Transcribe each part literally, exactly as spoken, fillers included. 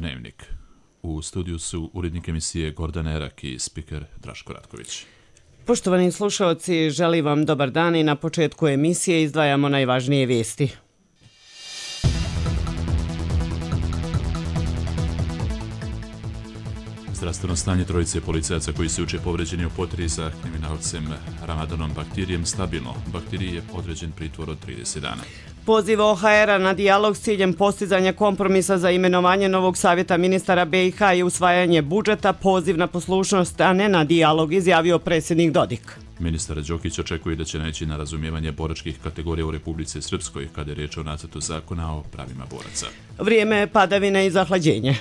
Dnevnik. U studiju su urednik emisije Gordana Erak i spiker Draško Ratković. Poštovani slušalci, želim vam dobar dan i na početku emisije izdvajamo najvažnije vijesti. Zdravstveno stanje trojice policajaca koji su juče povređeni u potrazi za kriminalcem Ramadanom Bahtirijem stabilno. Bahtiriji je određen pritvor od trideset dana. Poziv O H R-a na dijalog s ciljem postizanja kompromisa za imenovanje novog savjeta ministara B i H i usvajanje budžeta, poziv na poslušnost, a ne na dijalog, izjavio predsjednik Dodik. Ministar Đokić očekuje da će naići na razumijevanje boračkih kategorija u Republici Srpskoj kada je riječ o nacrtu zakona o pravima boraca. Vrijeme padavine i zahlađenje.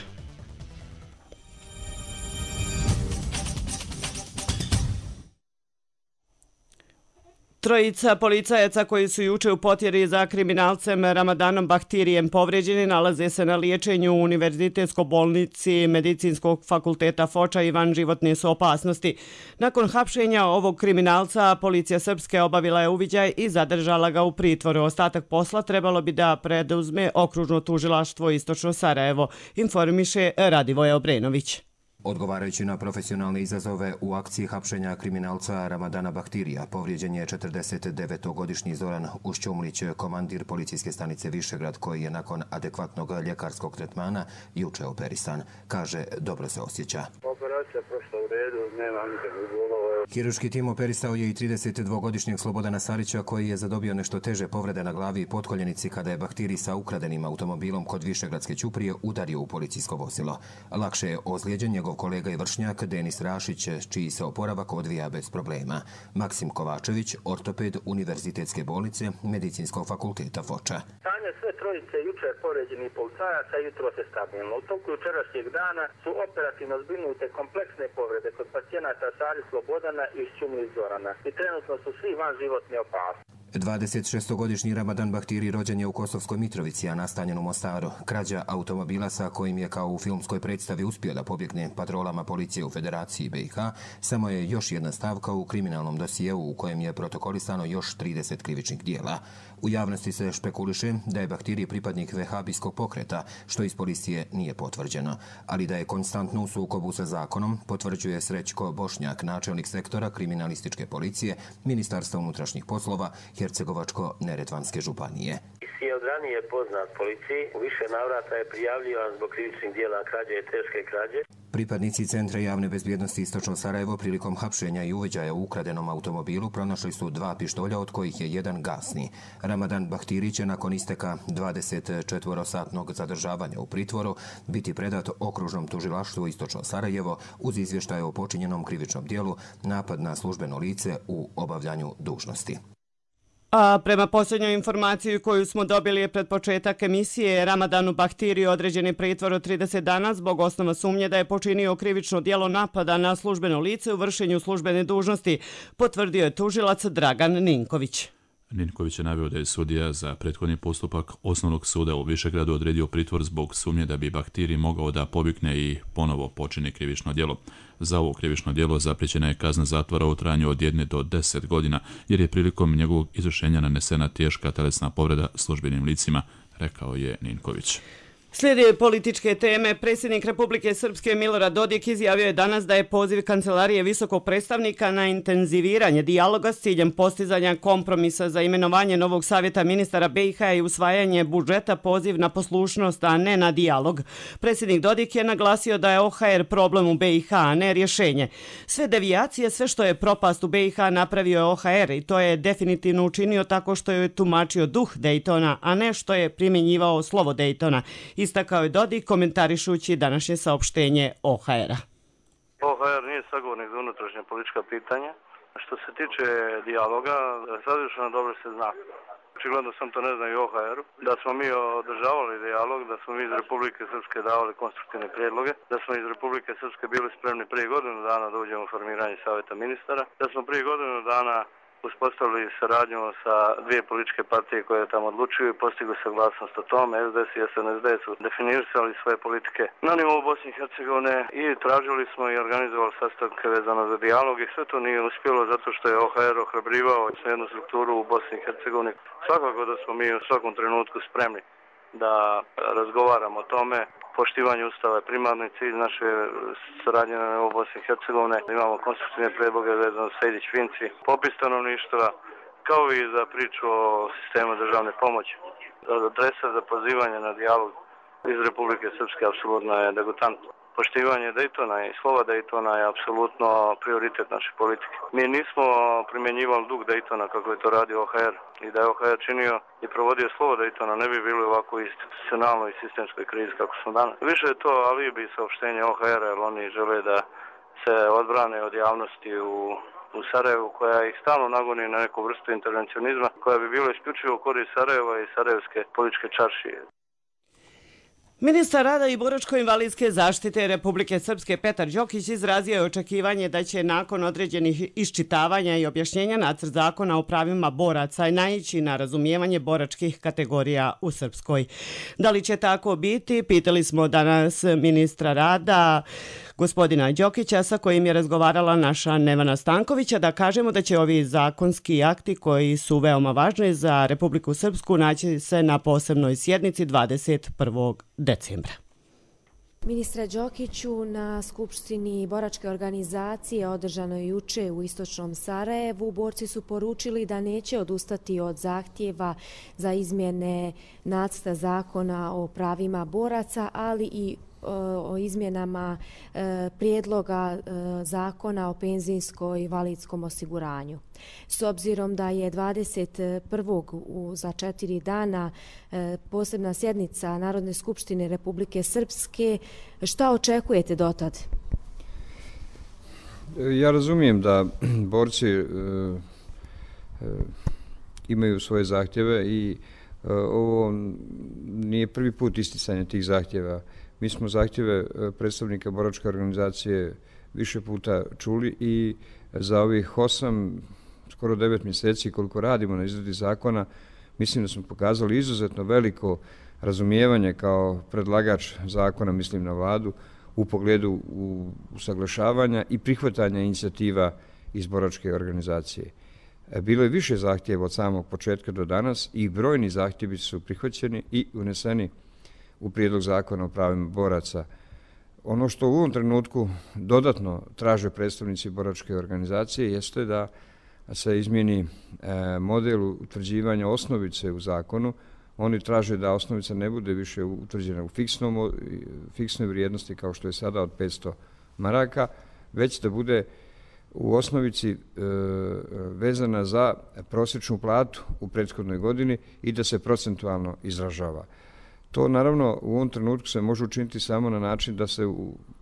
Trojica policajaca koji su juče u potjeri za kriminalcem Ramadanom Bahtirijem povređeni nalaze se na liječenju u Univerzitetskoj bolnici Medicinskog fakulteta Foča i van životne su opasnosti. Nakon hapšenja ovog kriminalca, policija Srpske obavila je uviđaj i zadržala ga u pritvoru. Ostatak posla trebalo bi da preduzme okružno tužilaštvo Istočno Sarajevo, informiše Radivoje Obrenović. Odgovarajući na profesionalne izazove u akciji hapšenja kriminalca Ramadana Bahtirija, povrijeđen je četrdesetdevetogodišnji Zoran Ušćumlić, komandir policijske stanice Višegrad, koji je nakon adekvatnog ljekarskog tretmana juče operisan. Kaže, dobro se osjeća. Operacija prošla u redu, nema nikakvih bolova. Hirurški tim operisao je i tridesetdvogodišnjeg Slobodana Sarića, koji je zadobio nešto teže povrede na glavi i potkoljenici kada je Bahtiri sa ukradenim automobilom kod Višegradske ćuprije udario u policijsko vozilo. Lakše je ozlijeđen njegov kolega i vršnjak Denis Rašić, čiji se oporavak odvija bez problema. Maksim Kovačević, ortoped Univerzitetske bolnice Medicinskog fakulteta Foča. Stanje sve trojice jučer povređenih policajaca jutro se stabilno. U toku jučerašnjeg dana su operativno zbrinute kompleksne povrede kod pacijenata Sari Slobodana i Šćumlić Zorana i trenutno su svi van životne opasnosti. dvadesetšestogodišnji Ramadan Bahtiri rođen je u Kosovskoj Mitrovici, a nastanjen u Mostaru. Krađa automobila sa kojim je kao u filmskoj predstavi uspio da pobjegne patrolama policije u Federaciji B i H samo je još jedna stavka u kriminalnom dosijeu u kojem je protokolisano još trideset krivičnih dijela. U javnosti se špekuliše da je Bahtiri pripadnik vehabijskog pokreta, što iz policije nije potvrđeno, ali da je konstantno u sukobu sa zakonom, potvrđuje Srećko Bošnjak, načelnik sektora kriminalističke policije Ministarstva unutrašnjih poslova Hercegovačko-Neretvanske županije. Je od ranije poznat policiji, u više navrata je prijavljivan zbog krivičnih dijela krađe i teške krađe. Pripadnici Centra javne bezbjednosti Istočno Sarajevo prilikom hapšenja i uviđaja u ukradenom automobilu pronašli su dva pištolja, od kojih je jedan gasni. Ramadan Bahtiri će nakon isteka dvadesetčetvorosatnog zadržavanja u pritvoru biti predat okružnom tužilaštvu Istočno Sarajevo uz izvještaje o počinjenom krivičnom dijelu napad na službeno lice u obavljanju dužnosti. A prema posljednjoj informaciji koju smo dobili je pred početak emisije, Ramadanu Bahtiriju određen je pritvor od trideset dana zbog osnova sumnje da je počinio krivično djelo napada na službeno lice u vršenju službene dužnosti, potvrdio je tužilac Dragan Ninković. Ninković je naveo da je sudija za prethodni postupak Osnovnog suda u Višegradu odredio pritvor zbog sumnje da bi Bahtiri mogao da pobjegne i ponovo počini krivično djelo. Za ovo krivično djelo zapriječena je kazna zatvora u trajanju od jedne do deset godina, jer je prilikom njegovog izvršenja nanesena teška telesna povreda službenim licima, rekao je Ninković. Slijede političke teme. Predsjednik Republike Srpske Milorad Dodik izjavio je danas da je poziv Kancelarije visokog predstavnika na intenziviranje dijaloga s ciljem postizanja kompromisa za imenovanje novog savjeta ministara B i H i usvajanje budžeta poziv na poslušnost, a ne na dijalog. Predsjednik Dodik je naglasio da je O H R problem u B i H, a ne rješenje. Sve devijacije, sve što je propast u B i H napravio je O H R i to je definitivno učinio tako što je tumačio duh Dejtona, a ne što je primjenjivao slovo Dejtona. Istakao je Dodik komentarišući današnje saopštenje O H R-a. O H R nije sagovornik za unutrašnje politička pitanja. Što se tiče dijaloga, sadržano dobro se zna. Očigledno sam to ne znam i O H R-u, da smo mi održavali dijalog, da smo mi iz Republike Srpske davali konstruktivne prijedloge, da smo iz Republike Srpske bili spremni prije godinu dana da uđemo u formiranje savjeta ministara, da smo prije godinu dana uspostavili saradnju sa dvije političke partije koje tamo odlučuju i postigli saglasnost o tome. S D S i S N S D su definirali svoje politike na nivou Bosne i Hercegovine i tražili smo i organizovali sastanke vezano za dijalog i sve to nije uspjelo zato što je O H R ohrabrivao jednu strukturu u Bosni i Hercegovini. Svakako da smo mi u svakom trenutku spremni da razgovaramo o tome Poštivanje Ustava je primarni cilj naše saradnje u Bosni i Hercegovine. Imamo konstruktivne predloge vezano za Sejdić-Finci, popis stanovništva, kao i za priču o sistemu državne pomoći. Adresa za pozivanje na dijalog iz Republike Srpske apsolutno je degutantno. Poštivanje Daytona i slova Daytona je apsolutno prioritet naše politike. Mi nismo primjenjivali duh Daytona kako je to radio O H R i da je O H R činio i provodio slovo Daytona ne bi bili ovako institucionalnoj i sistemskoj krizi kako smo danas. Više je to alibi saopštenje O H R-a jer oni žele da se odbrane od javnosti u u Sarajevu koja ih stalno nagoni na neku vrstu intervencionizma koja bi bila isključivo u korist Sarajeva i sarajevske političke čaršije. Ministar rada i boračko-invalidske zaštite Republike Srpske Petar Đokić izrazio je očekivanje da će nakon određenih iščitavanja i objašnjenja nacrt zakona o pravima boraca naići na razumijevanje boračkih kategorija u Srpskoj. Da li će tako biti? Pitali smo danas ministra rada gospodina Đokića sa kojim je razgovarala naša Nevana Stankovića, da kažemo da će ovi zakonski akti koji su veoma važni za Republiku Srpsku naći se na posebnoj sjednici dvadeset prvog decembra. Ministra Đokiću, na Skupštini boračke organizacije održanoj juče u istočnom Sarajevu, borci su poručili da neće odustati od zahtjeva za izmjene nacrta zakona o pravima boraca, ali i o izmjenama prijedloga zakona o penzijskom i invalidskom osiguranju. S obzirom da je dvadeset prvog za četiri dana posebna sjednica Narodne skupštine Republike Srpske, šta očekujete dotad? Ja razumijem da borci e, e, imaju svoje zahtjeve i e, ovo nije prvi put isticanje tih zahtjeva. Mi smo zahtjeve predstavnika boračke organizacije više puta čuli i za ovih osam, skoro devet mjeseci koliko radimo na izradi zakona, mislim da smo pokazali izuzetno veliko razumijevanje kao predlagač zakona, mislim na vladu, u pogledu usaglašavanja i prihvatanja inicijativa iz boračke organizacije. Bilo je više zahtjeva od samog početka do danas i brojni zahtjevi su prihvaćeni i uneseni u prijedlog zakona o pravima boraca. Ono što u ovom trenutku dodatno traže predstavnici boračke organizacije jeste da se izmijeni model utvrđivanja osnovice u zakonu. Oni traže da osnovica ne bude više utvrđena u fiksnom, fiksnoj vrijednosti kao što je sada od petsto maraka, već da bude u osnovici e, vezana za prosječnu platu u prethodnoj godini i da se procentualno izražava. To naravno u ovom trenutku se može učiniti samo na način da se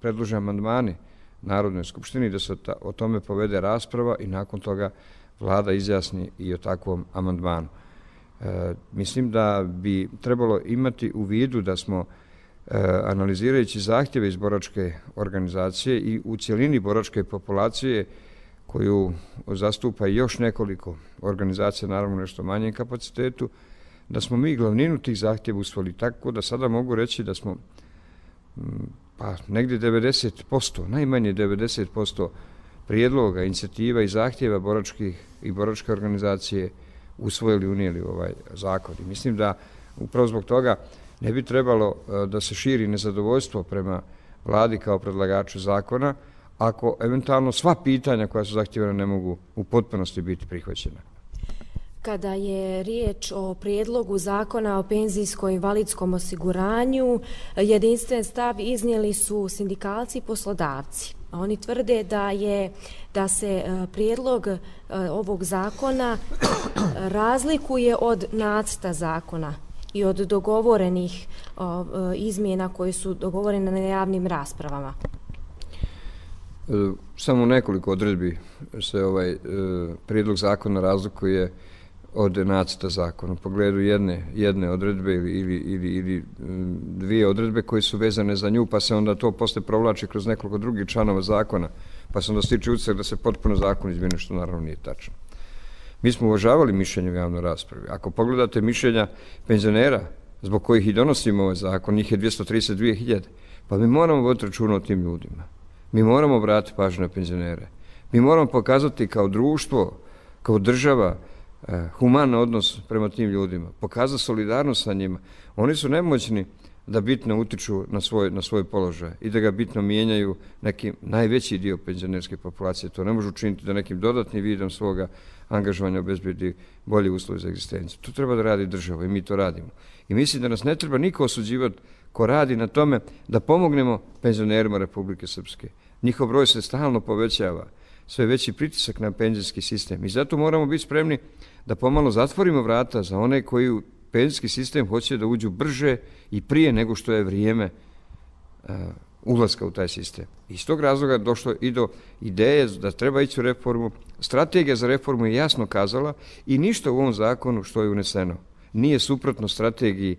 predlože amandmani Narodnoj skupštini, da se o tome povede rasprava i nakon toga vlada izjasni i o takvom amandmanu. E, mislim da bi trebalo imati u vidu da smo e, analizirajući zahtjeve iz boračke organizacije i u cjelini boračke populacije koju zastupa još nekoliko organizacija, naravno nešto manjem kapacitetu, da smo mi glavninu tih zahtjeva usvojili, tako da sada mogu reći da smo pa negdje devedeset posto, najmanje devedeset posto prijedloga, inicijativa i zahtjeva boračkih i boračke organizacije usvojili, unijeli ovaj zakon. I mislim da upravo zbog toga ne bi trebalo da se širi nezadovoljstvo prema vladi kao predlagaču zakona, ako eventualno sva pitanja koja su zahtjevana ne mogu u potpunosti biti prihvaćena. Kada je riječ o prijedlogu zakona o penzijskom i invalidskom osiguranju, jedinstven stav iznijeli su sindikalci i poslodavci. Oni tvrde da je da se prijedlog ovog zakona razlikuje od nacrta zakona i od dogovorenih izmjena koje su dogovorene na javnim raspravama. Samo nekoliko odredbi se ovaj prijedlog zakona razlikuje od nacrta zakona. U pogledu jedne, jedne odredbe ili, ili, ili, ili dvije odredbe koje su vezane za nju, pa se onda to posle provlači kroz nekoliko drugih članova zakona, pa se onda stiče utisak da se potpuno zakon izmijeni, što naravno nije tačno. Mi smo uvažavali mišljenje u javnoj raspravi. Ako pogledate mišljenja penzionera, zbog kojih i donosimo ovaj zakon, njih je dvjesto trideset dvije hiljade, pa mi moramo voditi računa o tim ljudima. Mi moramo obratiti pažnju na penzionere. Mi moramo pokazati kao društvo, kao država, human odnos prema tim ljudima, pokazati solidarnost sa njima. Oni su nemoćni da bitno utiču na svoj, na svoj položaj i da ga bitno mijenjaju neki najveći dio penzionerske populacije. To ne može učiniti da nekim dodatnim vidom svoga angažovanja obezbedi bolji uslov za egzistenciju. To treba da radi država i mi to radimo. I mislim da nas ne treba niko osuđivati ko radi na tome da pomognemo penzionerima Republike Srpske. Njihov broj se stalno povećava, sve veći pritisak na penzijski sistem i zato moramo biti spremni da pomalo zatvorimo vrata za one koji u penzijski sistem hoće da uđu brže i prije nego što je vrijeme uh, ulaska u taj sistem. Iz tog razloga došlo i do ideje da treba ići u reformu. Strategija za reformu je jasno kazala i ništa u ovom zakonu što je uneseno nije suprotno strategiji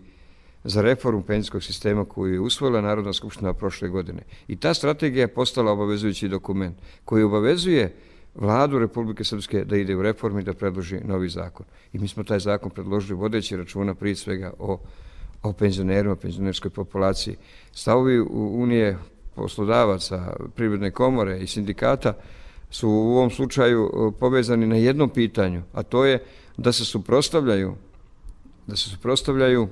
za reformu penzijskog sistema koju je usvojila Narodna skupština prošle godine. I ta strategija je postala obavezujući dokument koji obavezuje Vladu Republike Srpske da ide u reformu i da predloži novi zakon. I mi smo taj zakon predložili vodeći računa prije svega o, o penzionerima, penzionerskoj populaciji. Stavovi Unije poslodavaca, Privredne komore i sindikata su u ovom slučaju povezani na jednom pitanju, a to je da se suprotstavljaju da se suprotstavljaju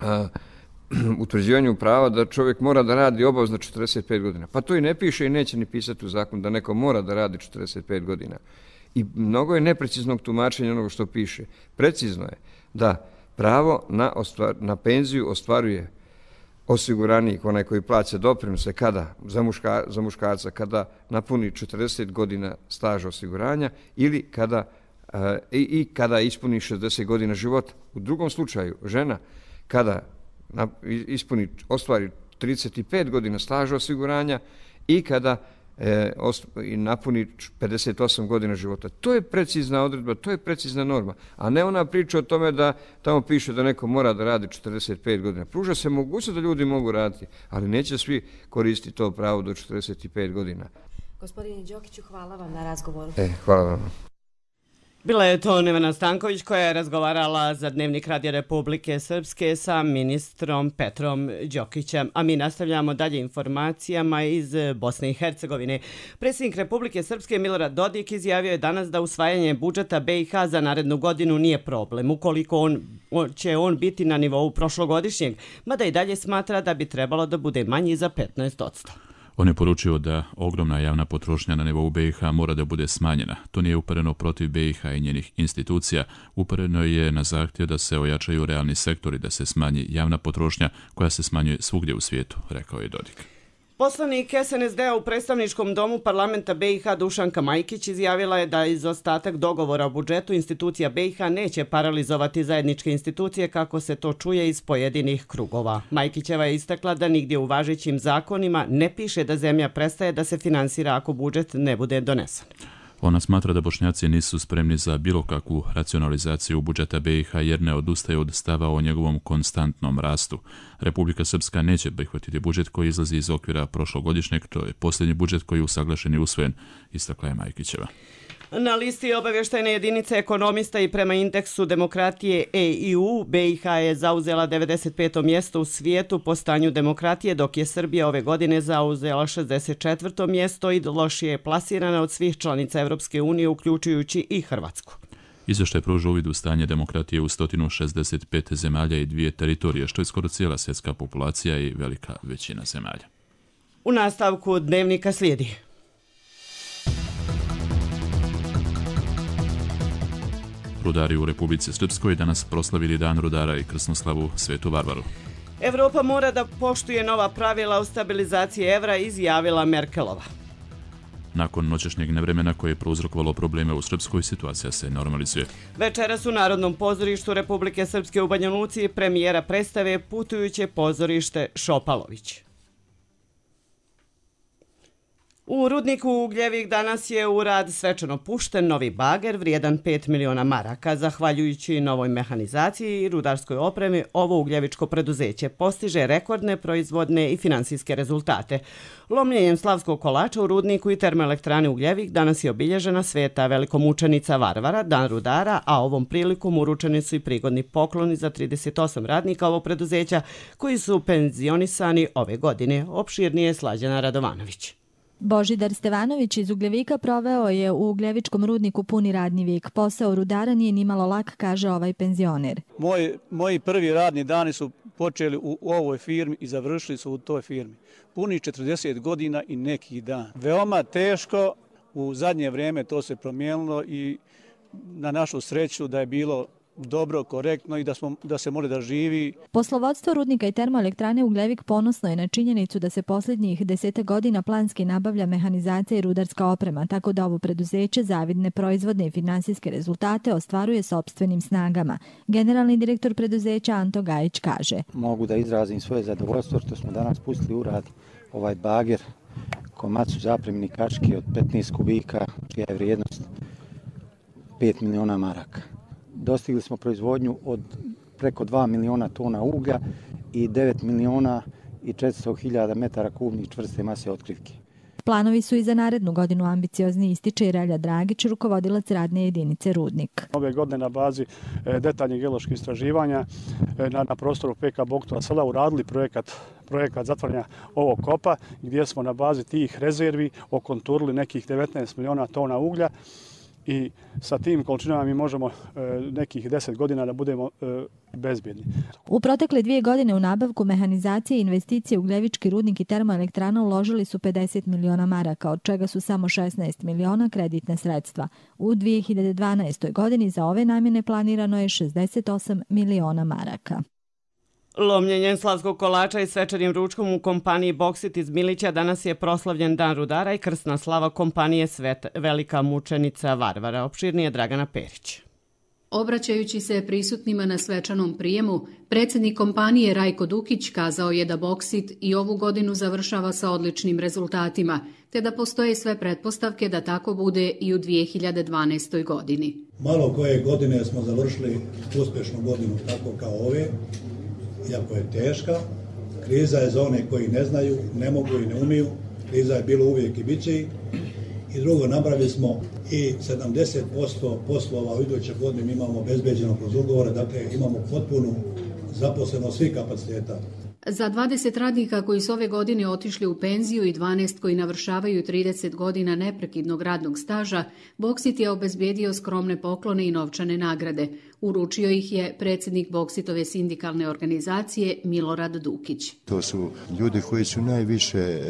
a, utvrđivanju prava da čovjek mora da radi obavezno četrdeset pet godina. Pa to i ne piše i neće ni pisati u zakonu da neko mora da radi četrdeset pet godina. I mnogo je nepreciznog tumačenja onoga što piše. Precizno je da pravo na, ostvar, na penziju ostvaruje osiguranik, onaj koji plaća doprinose kada za, muška, za muškarca kada napuni četrdeset godina staža osiguranja ili kada uh, i, i kada ispuni šezdeset godina života. U drugom slučaju žena kada na, ispuni ostvari trideset pet godina staža osiguranja i kada e, ost, i napuni pedeset osam godina života. To je precizna odredba, to je precizna norma, a ne ona priča o tome da tamo piše da neko mora da radi četrdeset pet godina. Pruža se mogućnost da ljudi mogu raditi, ali neće svi koristiti to pravo do četrdeset pet godina. Gospodine Đokiću, hvala vam na razgovoru. E, hvala vam. Bila je to Nevena Stanković koja je razgovarala za Dnevnik Radija Republike Srpske sa ministrom Petrom Đokićem. A mi nastavljamo dalje informacijama iz Bosne i Hercegovine. Predsjednik Republike Srpske Milorad Dodik izjavio je danas da usvajanje budžeta B i H za narednu godinu nije problem, ukoliko on, će on biti na nivou prošlogodišnjeg, mada i dalje smatra da bi trebalo da bude manji za petnaest posto. On je poručio da ogromna javna potrošnja na nivou B i H mora da bude smanjena. To nije upereno protiv B i H i njenih institucija, upereno je na zahtjev da se ojačaju realni sektori, da se smanji javna potrošnja koja se smanjuje svugdje u svijetu, rekao je Dodik. Poslanik S N S D-a u predstavničkom domu parlamenta B i H Dušanka Majkić izjavila je da izostatak dogovora o budžetu institucija B i H neće paralizovati zajedničke institucije kako se to čuje iz pojedinih krugova. Majkićeva je istakla da nigdje u važećim zakonima ne piše da zemlja prestaje da se finansira ako budžet ne bude donesen. Ona smatra da Bošnjaci nisu spremni za bilo kakvu racionalizaciju budžeta B i H jer ne odustaju od stava o njegovom konstantnom rastu. Republika Srpska neće prihvatiti budžet koji izlazi iz okvira prošlogodišnjeg, to je posljednji budžet koji je usaglašen i usvojen, istakla je Majkićeva. Na listi obavještajne jedinice ekonomista i prema indeksu demokratije E I U, B i H je zauzela devedeset peto mjesto u svijetu po stanju demokratije, dok je Srbija ove godine zauzela šezdeset četvrto mjesto i lošije je plasirana od svih članica Evropske unije, uključujući i Hrvatsku. Izvještaj pruža uvid u stanje demokratije u sto šezdeset pet zemalja i dvije teritorije, što je skoro cijela svjetska populacija i velika većina zemalja. U nastavku Dnevnika slijedi. Rudari u Republici Srpskoj danas proslavili Dan rudara i krsnoslavu Svetu Varvaru. Evropa mora da poštuje nova pravila o stabilizaciji evra, izjavila Merkelova. Nakon noćešnjeg nevremena koje je prouzrokovalo probleme u Srpskoj, situacija se normalizuje. Večeras u Narodnom pozorištu Republike Srpske u Banja Luci premijera predstave Putujuće pozorište Šopalović. U rudniku Ugljevik danas je u rad svečano pušten novi bager vrijedan pet miliona maraka. Zahvaljujući novoj mehanizaciji i rudarskoj opremi, ovo ugljevičko preduzeće postiže rekordne proizvodne i finansijske rezultate. Lomljenjem slavskog kolača u rudniku i termoelektrani Ugljevik danas je obilježena sveta velikomučenica Varvara, Dan rudara, a ovom prilikom uručeni su i prigodni pokloni za trideset osam radnika ovog preduzeća koji su penzionisani ove godine. Opširnije Slađana Radovanović. Božidar Stevanović iz Ugljevika proveo je u Ugljevičkom rudniku puni radni vijek. Posao rudara nije nimalo lak, kaže ovaj penzioner. Moj, moji prvi radni dani su počeli u, u ovoj firmi i završili su u toj firmi. Puni četrdeset godina i neki dan. Veoma teško, u zadnje vrijeme to se promijenilo i na našu sreću da je bilo dobro, korektno i da, smo, da se može da živi. Poslovodstvo rudnika i termoelektrane Ugljevik ponosno je na činjenicu da se posljednjih deseta godina planski nabavlja mehanizacija i rudarska oprema, tako da ovo preduzeće zavidne proizvodne i finansijske rezultate ostvaruje sopstvenim snagama. Generalni direktor preduzeća Anto Gajić kaže: Mogu da izrazim svoje zadovoljstvo što smo danas pustili u rad ovaj bager Komatsu zapremni kačke od petnaest kubika, čija je vrijednost pet miliona maraka. Dostigli smo proizvodnju od preko dva miliona tona uglja i devet miliona i četiristo hiljada metara kubnih čvrste mase otkrivke. Planovi su i za narednu godinu ambiciozni, ističe Relja Dragić, rukovodilac radne jedinice Rudnik. Ove godine na bazi detaljnih geoloških istraživanja na, na prostoru P K Boktova sela uradili projekat, projekat zatvaranja ovog kopa, gdje smo na bazi tih rezervi okonturili nekih devetnaest miliona tona uglja. I sa tim količinama mi možemo e, nekih deset godina da budemo e, bezbjedni. U protekle dvije godine u nabavku mehanizacije i investicije u Ugljevički rudnik i termoelektrana uložili su pedeset miliona maraka, od čega su samo šesnaest miliona kreditne sredstva. U dvije hiljade dvanaestoj. godini za ove namjene planirano je šezdeset osam miliona maraka. Lomljenjem slavskog kolača i svečanim ručkom u kompaniji Boksit iz Milića danas je proslavljen Dan rudara i krsna slava kompanije Svet Velika mučenica Varvara. Opširnije Dragana Perić. Obraćajući se prisutnima na svečanom prijemu, predsjednik kompanije Rajko Dukić kazao je da Boksit i ovu godinu završava sa odličnim rezultatima, te da postoje sve pretpostavke da tako bude i u dvije hiljade dvanaestoj. godini. Malo koje godine smo završili uspješnu godinu tako kao ove, iako je teška. Kriza je za one koji ne znaju, ne mogu i ne umiju. Kriza je bilo uvijek i bit će ih. I drugo, napravili smo i sedamdeset posto poslova u idućoj godini imamo obezbeđeno kroz ugovore, dakle imamo potpunu zaposlenost svih kapaciteta. Za dvadeset radnika koji su ove godine otišli u penziju i dvanaest koji navršavaju trideset godina neprekidnog radnog staža, Boksit je obezbijedio skromne poklone i novčane nagrade. Uručio ih je predsjednik Boksitove sindikalne organizacije Milorad Dukić. To su ljudi koji su najviše e,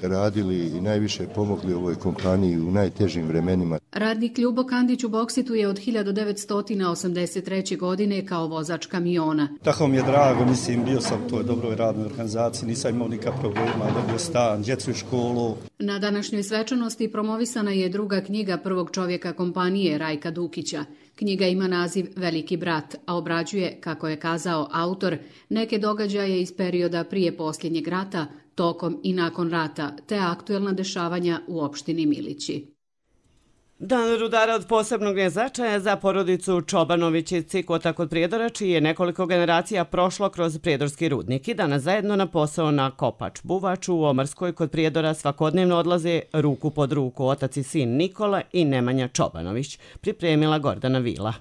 radili i najviše pomogli ovoj kompaniji u najtežim vremenima. Radnik Ljubo Kandić u Boksitu je od hiljadu devetsto osamdeset treće. godine kao vozač kamiona. Tako mi je drago, mislim, bio sam u toj dobroj radnoj organizaciji, nisam imao nikakvih problema, dobio stan, djecu u školu. Na današnjoj svečanosti promovisana je druga knjiga prvog čovjeka kompanije Rajka Dukića. Knjiga ima naziv Veliki brat, a obrađuje, kako je kazao autor, neke događaje iz perioda prije posljednjeg rata, tokom i nakon rata, te aktuelna dešavanja u opštini Milići. Dan rudara od posebnog je značaja za porodicu Čobanović iz Cikota kod Prijedora, čiji je nekoliko generacija prošlo kroz prijedorski rudnik i danas zajedno na posao na Kopač Buvač u Omarskoj kod Prijedora svakodnevno odlaze ruku pod ruku otac i sin Nikola i Nemanja Čobanović, pripremila Gordana Vila.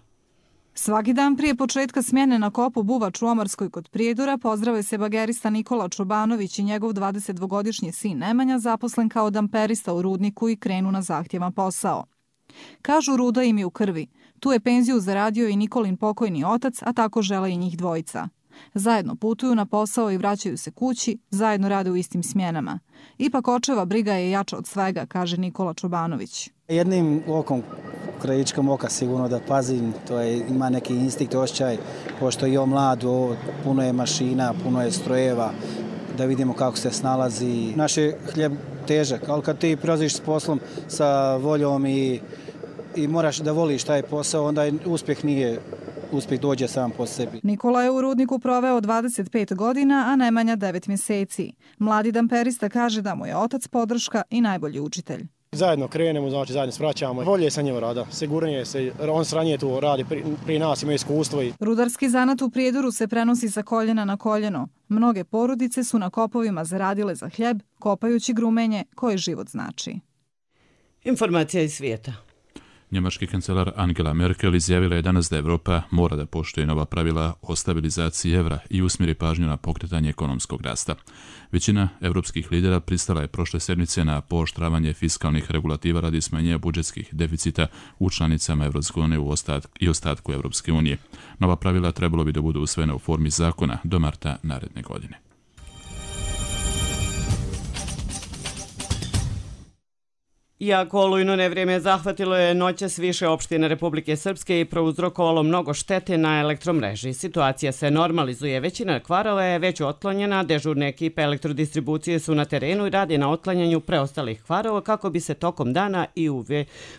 Svaki dan prije početka smjene na kopu Buvač u Omarskoj kod Prijedora pozdrave se bagerista Nikola Čobanović i njegov dvadesetdvogodišnji sin Nemanja, zaposlen kao damperista u rudniku, i krenu na zahtjevan posao. Kažu, ruda im je u krvi. Tu je penziju zaradio i Nikolin pokojni otac, a tako žele i njih dvojica. Zajedno putuju na posao i vraćaju se kući, zajedno rade u istim smjenama. Ipak očeva briga je jača od svega, kaže Nikola Čobanović. Jednim okom, krajičkom oka sigurno da pazim, to je, ima neki instinkt, osjećaj, pošto je on mlad, o, puno je mašina, puno je strojeva, da vidimo kako se snalazi. Naš je hljeb težak, ali kad ti prelaziš s poslom sa voljom i, i moraš da voliš taj posao, onda uspjeh nije, uspjeh dođe sam po sebi. Nikola je u rudniku proveo dvadeset pet godina, a Nemanja devet mjeseci. Mladi damperista kaže da mu je otac podrška i najbolji učitelj. Zajedno krenemo, znači zajedno svraćamo. Bolje sa njim rada, sigurnije se, on sranije tu radi, pri, pri nas ima iskustvo. I... Rudarski zanat u Prijedoru se prenosi sa koljena na koljeno. Mnoge porodice su na kopovima zaradile za hljeb, kopajući grumenje koje život znači. Informacija iz svijeta. Njemački kancelar Angela Merkel izjavila je danas da Evropa mora da poštuje nova pravila o stabilizaciji evra i usmjeri pažnju na pokretanje ekonomskog rasta. Većina evropskih lidera pristala je prošle sedmice na pooštravanje fiskalnih regulativa radi smanjenja budžetskih deficita u članicama Eurozone i ostatku Evropske unije. Nova pravila trebalo bi da budu usvojena u formi zakona do marta naredne godine. Iako olujno nevrijeme zahvatilo je noćas više opštine Republike Srpske i prouzrokovalo mnogo štete na elektromreži. Situacija se normalizuje, većina kvarova je već otklonjena, dežurne ekipe elektrodistribucije su na terenu i rade na otklanjanju preostalih kvarova kako bi se tokom dana i u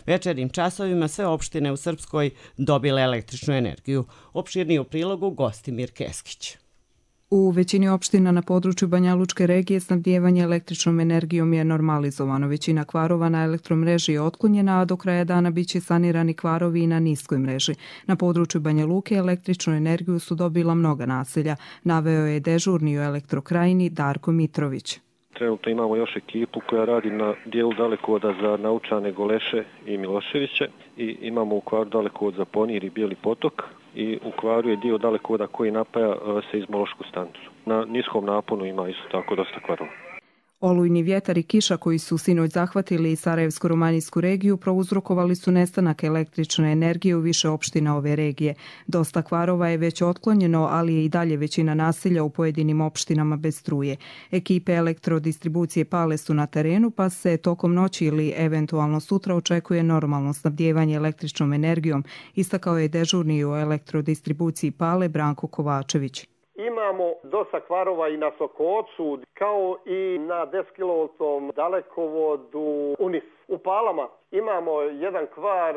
večernjim časovima sve opštine u Srpskoj dobile električnu energiju. Opširniji u prilogu Gostimir Keskić. U većini opština na području Banja Lučke regije snabdijevanje električnom energijom je normalizovano. Većina kvarova na elektromreži je otklonjena, a do kraja dana biće sanirani kvarovi i na niskoj mreži. Na području Banja Luke električnu energiju su dobila mnoga naselja, naveo je dežurni u Elektrokrajini Darko Mitrović. Trenutno imamo još ekipu koja radi na dijelu dalekovoda za Naučane, Goleše i Miloševiće i imamo u kvaru dalekovod za Ponir i Bijeli potok i u kvaru je dio dalekovoda koji napaja seizmološku stanicu. Na niskom naponu ima isto tako dosta kvarova. Olujni vjetar i kiša koji su sinoć zahvatili Sarajevsko-romanijsku regiju prouzrokovali su nestanak električne energije u više opština ove regije. Dosta kvarova je već otklonjeno, ali je i dalje većina naselja u pojedinim opštinama bez struje. Ekipe elektrodistribucije Pale su na terenu, pa se tokom noći ili eventualno sutra očekuje normalno snabdijevanje električnom energijom, istakao je dežurni u elektrodistribuciji Pale Branko Kovačević. Imamo dosta kvarova i na Sokocu, kao i na deset kilovoltnom dalekovodu Unis. U Palama imamo jedan kvar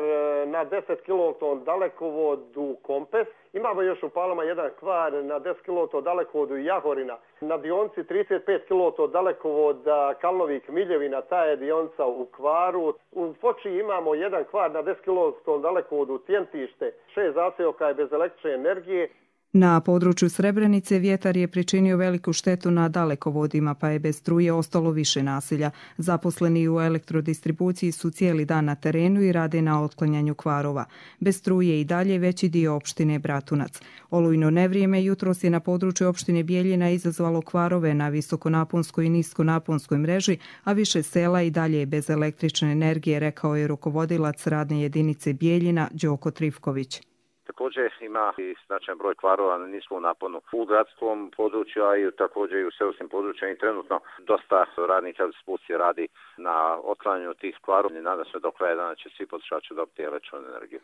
na deset kilovoltnom dalekovodu Kompes. Imamo još u Palama jedan kvar na deset kilovoltnom dalekovodu Jahorina. Na dionci trideset pet kilovoltnog dalekovoda Kalnovik-Miljevina, ta je dionca u kvaru. U Foči imamo jedan kvar na deset kilovoltnom dalekovodu Tjentište. Šest zaseoka je bez električne energije. Na području Srebrenice vjetar je pričinio veliku štetu na dalekovodima, pa je bez struje ostalo više naselja. Zaposleni u elektrodistribuciji su cijeli dan na terenu i rade na otklanjanju kvarova. Bez struje i dalje veći dio opštine Bratunac. Olujno nevrijeme jutros je na području opštine Bijeljina izazvalo kvarove na visokonaponskoj i niskonaponskoj mreži, a više sela i dalje je bez električne energije, rekao je rukovodilac radne jedinice Bijeljina Đoko Trifković. Također ima i značajan broj kvarova na niskom naponu u gradskom području, a i također i u seoskim područjima i trenutno dosta radnika distribucije radi na otklanjanju tih kvarova i nadam se do kraja dana će svi potrošači dobiti električnu energiju.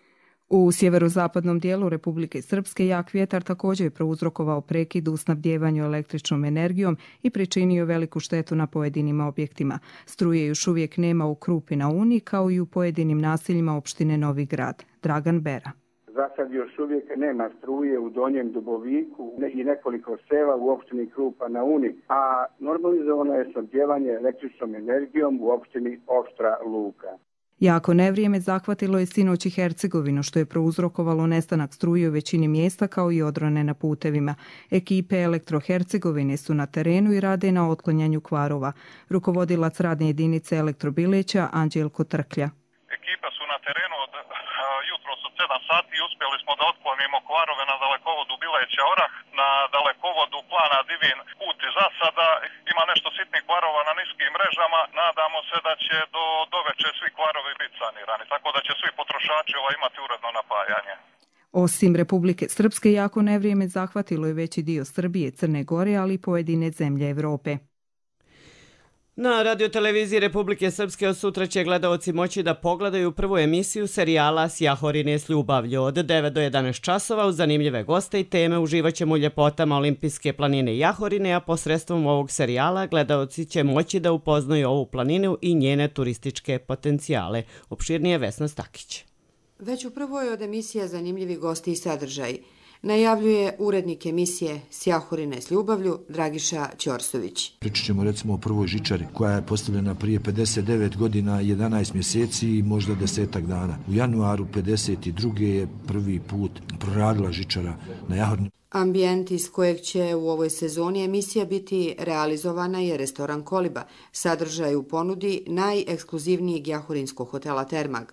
U sjeverozapadnom dijelu Republike Srpske jak vjetar također je prouzrokovao prekid u snabdjevanju električnom energijom i pričinio veliku štetu na pojedinim objektima. Struje još uvijek nema u Krupi na Uni, kao i u pojedinim naseljima opštine Novi Grad. Dragan Bera. Za sad još uvijek nema struje u Donjem Duboviku i nekoliko sela u opštini Krupa na Uni, a normalizovano je snabdijevanje električnom energijom u opštini Oštra Luka. Jako nevrijeme zahvatilo je sinoć i Hercegovinu, što je prouzrokovalo nestanak struje u većini mjesta kao i odrone na putevima. Ekipe Elektro-Hercegovine su na terenu i rade na otklanjanju kvarova. Rukovodilac radne jedinice Elektrobileća Anđelko Trklja. Ekipe su na terenu od jutros od sedam sati i uspjeli smo da otklonimo kvarove na dalekovodu Bileća Orah, na dalekovodu Plana Divin put i zasada. Ima nešto sitnih kvarova na niskim mrežama. Nadamo se da će do, do veče svi kvarovi biti sanirani, tako da će svi potrošači ovaj imati uredno napajanje. Osim Republike Srpske, jako nevrijeme zahvatilo je veći dio Srbije, Crne Gore, ali i pojedine zemlje Evrope. Na radioteleviziji Republike Srpske od sutra će gledaoci moći da pogledaju prvu emisiju serijala S Jahorine s ljubavlju od devet do jedanaest časova uz zanimljive goste i teme. Uživaćemo u ljepotama Olimpijske planine Jahorine, a posredstvom ovog serijala gledaoci će moći da upoznaju ovu planinu i njene turističke potencijale. Opširnije Vesna Stakić. Već u prvoj od emisija zanimljivi gosti i sadržaj najavljuje urednik emisije S Jahorine s ljubavlju Dragiša Ćorsović. Pričat ćemo recimo o prvoj žičari koja je postavljena prije pedeset devet godina, jedanaest mjeseci i možda desetak dana. U januaru pedeset druge je prvi put proradila žičara na Jahorini. Ambijent iz kojeg će u ovoj sezoni emisija biti realizovana je restoran Koliba, sadržaj u ponudi najekskluzivnijeg jahorinskog hotela Termag.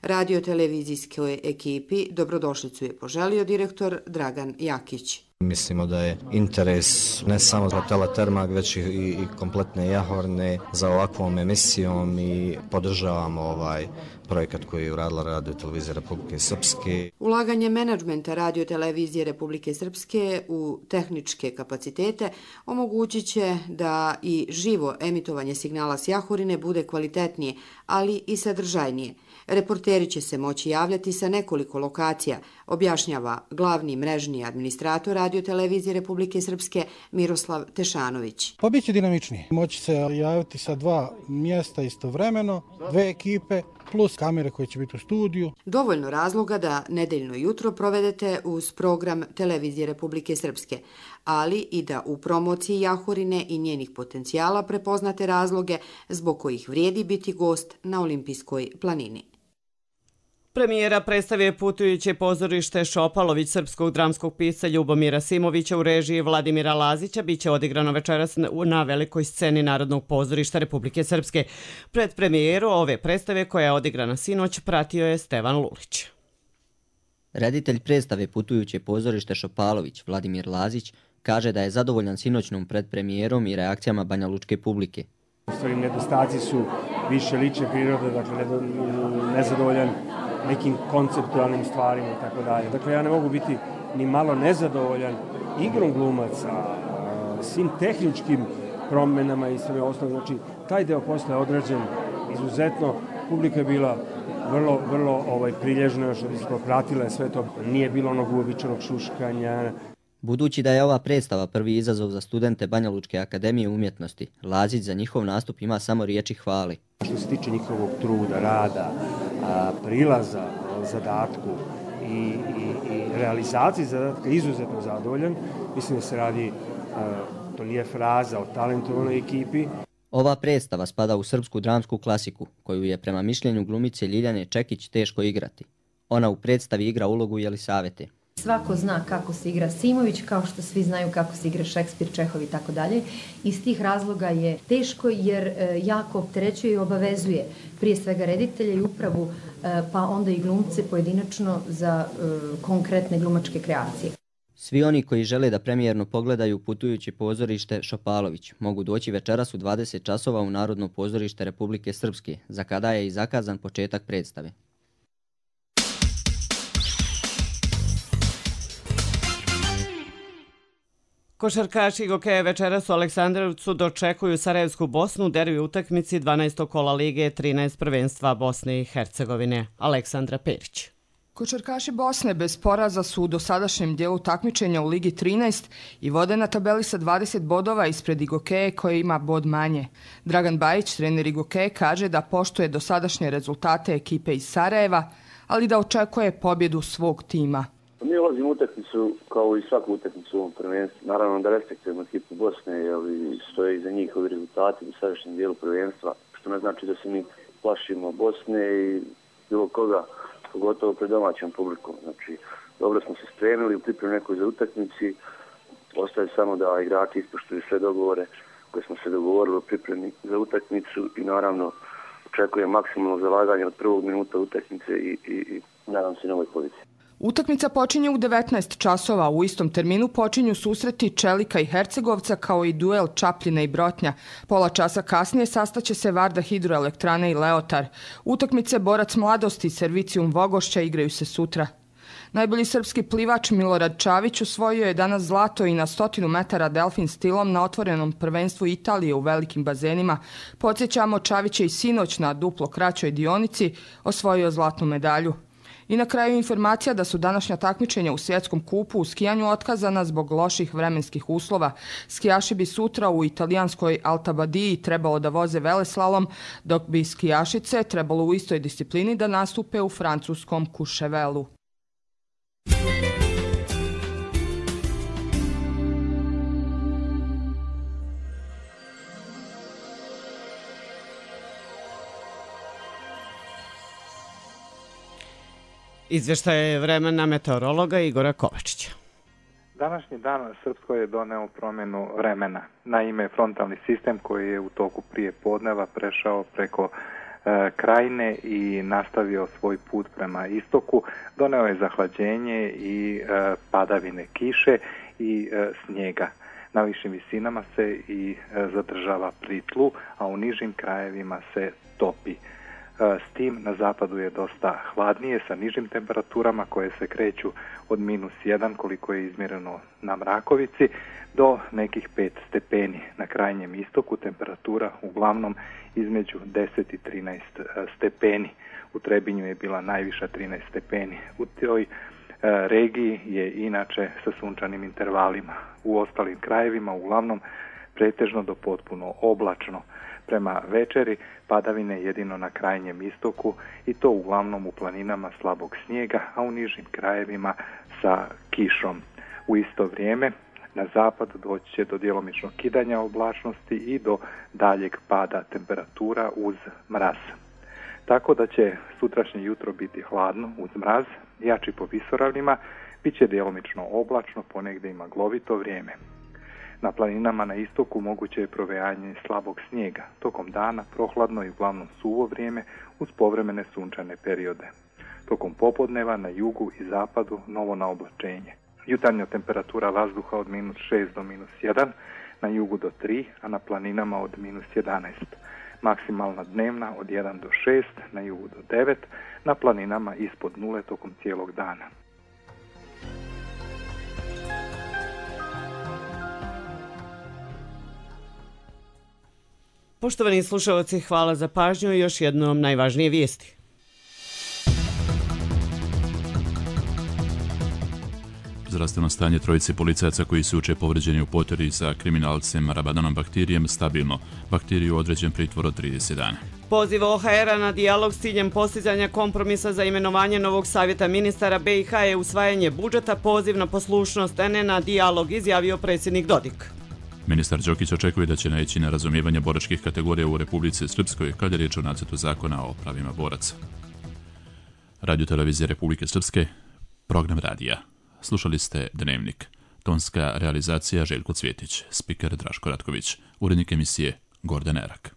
Radio-televizijskoj ekipi dobrodošlicu je poželio direktor Dragan Jakić. Mislimo da je interes ne samo za Teletermak, već i, i kompletne Jahorne za ovakvom emisijom i podržavamo ovaj projekat koji je uradila Radio televizija Republike Srpske. Ulaganje menadžmenta Radio televizije Republike Srpske u tehničke kapacitete omogućit će da i živo emitovanje signala s Jahorine bude kvalitetnije, ali i sadržajnije. Reporteri će se moći javljati sa nekoliko lokacija, objašnjava glavni mrežni administrator Radio televizije Republike Srpske Miroslav Tešanović. Pa bit će dinamičnije. Moći se javiti sa dva mjesta istovremeno, dve ekipe, plus kamere koje će biti u studiju. Dovoljno razloga da nedeljno jutro provedete uz program Televizije Republike Srpske, ali i da u promociji Jahorine i njenih potencijala prepoznate razloge zbog kojih vrijedi biti gost na Olimpijskoj planini. Premijera predstavio putujuće pozorište Šopalović srpskog dramskog pisca Ljubomira Simovića u režiji Vladimira Lazića biće odigrano večeras na velikoj sceni Narodnog pozorišta Republike Srpske. Pred premijeru ove predstave koja je odigrana sinoć pratio je Stevan Lulić. Reditelj predstave putujuće pozorište Šopalović Vladimir Lazić kaže da je zadovoljan sinoćnom predpremijerom i reakcijama banjalučke publike. U stvari nedostaci su više lične prirode, dakle nezadovoljan nekim konceptualnim stvarima i tako dalje. Dakle, ja ne mogu biti ni malo nezadovoljan igrom glumaca, svim tehničkim promjenama i sve ostalo. Znači, taj deo posla je odrađen izuzetno. Publika je bila vrlo, vrlo ovaj, prilježna, što bi se pratila sve to. Nije bilo onog uobičajenog šuškanja. Budući da je ova predstava prvi izazov za studente Banjalučke akademije umjetnosti, Lazić za njihov nastup ima samo riječi hvali. Što se tiče njihovog truda, rada, prilaza zadatku i, i, i realizaciji zadatka izuzetno zadovoljan. Mislim da se radi, to nije fraza, o talentovanoj ekipi. Ova predstava spada u srpsku dramsku klasiku, koju je prema mišljenju glumice Ljiljane Čekić teško igrati. Ona u predstavi igra ulogu Jelisavete. Svako zna kako se igra Simović, kao što svi znaju kako se igra Šekspir, Čehov i tako dalje. Iz tih razloga je teško jer jako opterećuje i obavezuje prije svega reditelje i upravu, pa onda i glumce pojedinačno za konkretne glumačke kreacije. Svi oni koji žele da premijerno pogledaju putujuće pozorište Šopalović mogu doći večeras u dvadeset časova u Narodno pozorište Republike Srpske, za kada je i zakazan početak predstave. Košarkaši Gokeja večeras u Aleksandrovcu dočekuju Sarajevsku Bosnu u derbi utakmici dvanaestog kola Lige trinaest prvenstva Bosne i Hercegovine. Aleksandra Perić. Košarkaši Bosne bez poraza su u dosadašnjem dijelu takmičenja u Ligi trinaest i vode na tabeli sa dvadeset bodova ispred Igokeje koje ima bod manje. Dragan Bajić, trener Igokeje, kaže da poštuje dosadašnje rezultate ekipe iz Sarajeva, ali da očekuje pobjedu svog tima. Mi ulazimo u utakmicu kao i svaku utakmicu u ovom prvenstvu. Naravno da respektujemo ekipu Bosne, jer stoje iza njih ovi rezultati u sadašnjem dijelu prvenstva, što ne znači da se mi plašimo Bosne i bilo koga, pogotovo pred domaćom publikom. Znači, dobro smo se spremili u pripremi nekoj za utakmici, ostaje samo da igrači ispoštuju sve dogovore koje smo se dogovorili u pripremi za utakmicu i naravno očekujem maksimalno zalaganje od prvog minuta utakmice i, i, i nadam se novoj poziciji. Utakmica počinje u devetnaest časova, u istom terminu počinju susreti Čelika i Hercegovca kao i duel Čapljina i Brotnja. Pola časa kasnije sastaće se Varda Hidroelektrane i Leotar. Utakmice Borac Mladosti i Servicijum Vogošća igraju se sutra. Najbolji srpski plivač Milorad Čavić osvojio je danas zlato i na stotinu metara delfin stilom na otvorenom prvenstvu Italije u velikim bazenima. Podsjećamo, Čavić je i sinoć na duplo kraćoj dionici osvojio zlatnu medalju. I na kraju informacija da su današnja takmičenja u svjetskom kupu u skijanju otkazana zbog loših vremenskih uslova. Skijaši bi sutra u italijanskoj Alta Badiji trebalo da voze veleslalom, dok bi skijašice trebalo u istoj disciplini da nastupe u francuskom Courchevelu. Izvještaj vremena meteorologa Igora Kovačića. Današnji dan u Srpskoj je doneo promjenu vremena. Naime, frontalni sistem koji je u toku prije podneva prešao preko krajine i nastavio svoj put prema istoku. Doneo je zahlađenje i padavine kiše i snijega. Na višim visinama se i zadržava pri tlu, a u nižim krajevima se topi. S tim na zapadu je dosta hladnije sa nižim temperaturama koje se kreću od minus jedan koliko je izmjereno na Mrakovici do nekih pet stepeni. Na krajnjem istoku temperatura uglavnom između deset i trinaest stepeni. U Trebinju je bila najviša trinaest stepeni. U toj regiji je inače sa sunčanim intervalima. U ostalim krajevima uglavnom pretežno do potpuno oblačno. Prema večeri padavine jedino na krajnjem istoku i to uglavnom u planinama slabog snijega, a u nižim krajevima sa kišom. U isto vrijeme na zapad doći će do djelomičnog kidanja oblačnosti i do daljeg pada temperatura uz mraz. Tako da će sutrašnje jutro biti hladno uz mraz, jači po visoravnima, bit će djelomično oblačno, ponegdje i maglovito vrijeme. Na planinama na istoku moguće je provejanje slabog snijega. Tokom dana prohladno i uglavnom suvo vrijeme uz povremene sunčane periode. Tokom popodneva na jugu i zapadu novo naoblačenje. Jutarnja temperatura vazduha od minus šest do minus jedan, na jugu do tri, a na planinama od minus jedanaest. Maksimalna dnevna od jedan do šest, na jugu do devet, na planinama ispod nule tokom cijelog dana. Poštovani slušalci, hvala za pažnju i još jednom najvažnije vijesti. Zdravstveno stanje trojice policajaca koji su jučer povređeni u poteri sa kriminalcem Rabadanom Bahtirijem stabilno. Bahtiriju određen pritvor od trideset dana. Poziv O H R-a na dijalog s ciljem postizanja kompromisa za imenovanje novog savjeta ministara B i H je usvajanje budžeta, poziv na poslušnost, a ne na dijalog, izjavio predsjednik Dodik. Ministar Đokić očekuje da će naići na razumijevanje boračkih kategorija u Republici Srpskoj kad je riječ o nacrtu zakona o pravima boraca. Radio televizije Republike Srpske, program radija. Slušali ste Dnevnik. Tonska realizacija Željko Cvjetić, spiker Draško Ratković, urednik emisije Gordon Erak.